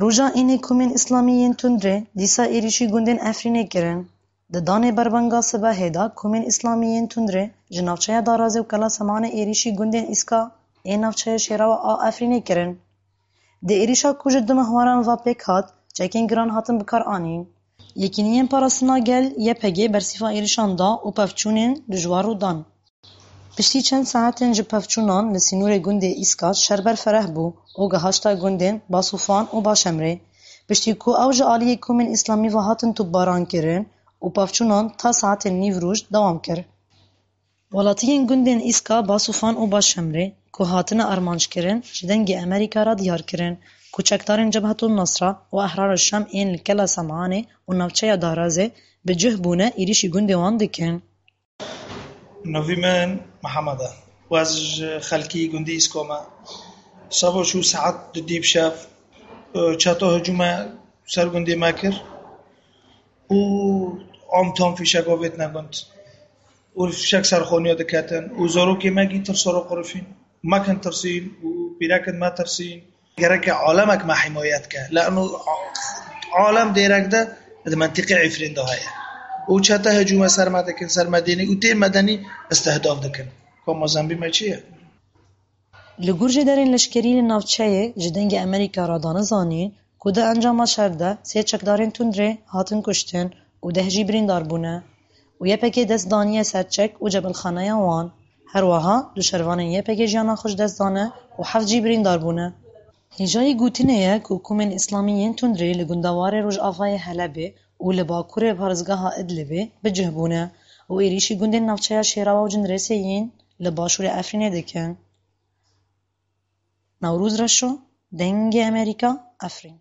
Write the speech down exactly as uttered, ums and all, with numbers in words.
Roja înê komên îslamî yên tundrê dîsa êrîşî gundên Efrînê kirin. Di danê berbenga sibehê de komên îslamî yên tundrê ji navçeya Darazê û Kela Semanê êrîşî gundên Îska ê navçeya Şêrawa a Efrînê kirin. Di êrîşa ku ji du mehwaran ve pêk hat, çekên giran hatin bikaranîn. Yekîniyên Parastina Gel, Y P G, bersîva êrîşan da û pevçûnên dijwar rû dan. Piştî çend saetên ji pevçûnan li sînorê gundê Îska şer berfereh bû û gihişta gundên Basûfan û Başemrê. Piştî ku ew ji aliyê komên îslamî ve hatin topbaran kirin û pevçûnan ta saetên nîvroj dewam kir. Welatiyên gundên Îska, Basûfan û Başemrê ku hatine armanckirin, ji Dengê Amerîka re diyar kirin ku çekdarên Cebhetun Nasra û Ehrar Şam ên li Kela Semanê û navçeya Darazê bi cih bûne êrîşî gundê wan dikin. Navî min Mihemed e. Ez ji xelkî gundî Îsko me. Seba çû saet dudî bi şev, e, çeta hicûme ser gundê me kir û am tam fîşeka vêtine gund. Û fîşek ser xaniya diketin û zarokê me gî tirsa re qirifîn. Me kin tirsîn û pîrekên me tirsîn. Gereke alemek me himayet ke. Leno alem dêrek de di mentiqê Efrîn de heye. Û çete hicûme ser me dikin, ser medenî û tên medenî istihdaf dikin. Ka mazembî me çi ye? Li gor jêderên leşkerî li navçeyê ji Dengê Amerîka re dane zanîn ku di encama şer de sê çekdarên tundrê hatin kuştin û deh jî birîndar bûne û Y P G dest daniye ser çek û cebilxaneya wan. Her wiha du şervanên Y P G jiyana xwe ji dest dane û heft jî birîndar bûne. Hêjayî gotinê ye ku komên îslamî yên tundrê li gundewarê rojavayê Helebê û li bakurê parêzgeha Idlibê bi cih bûne û êrîşî gundên navçeya Şêrawa û Cindirêsê yên li başûrê Efrînê dikin. Newroz Reşo, Dengê Amerîka, Efrîn.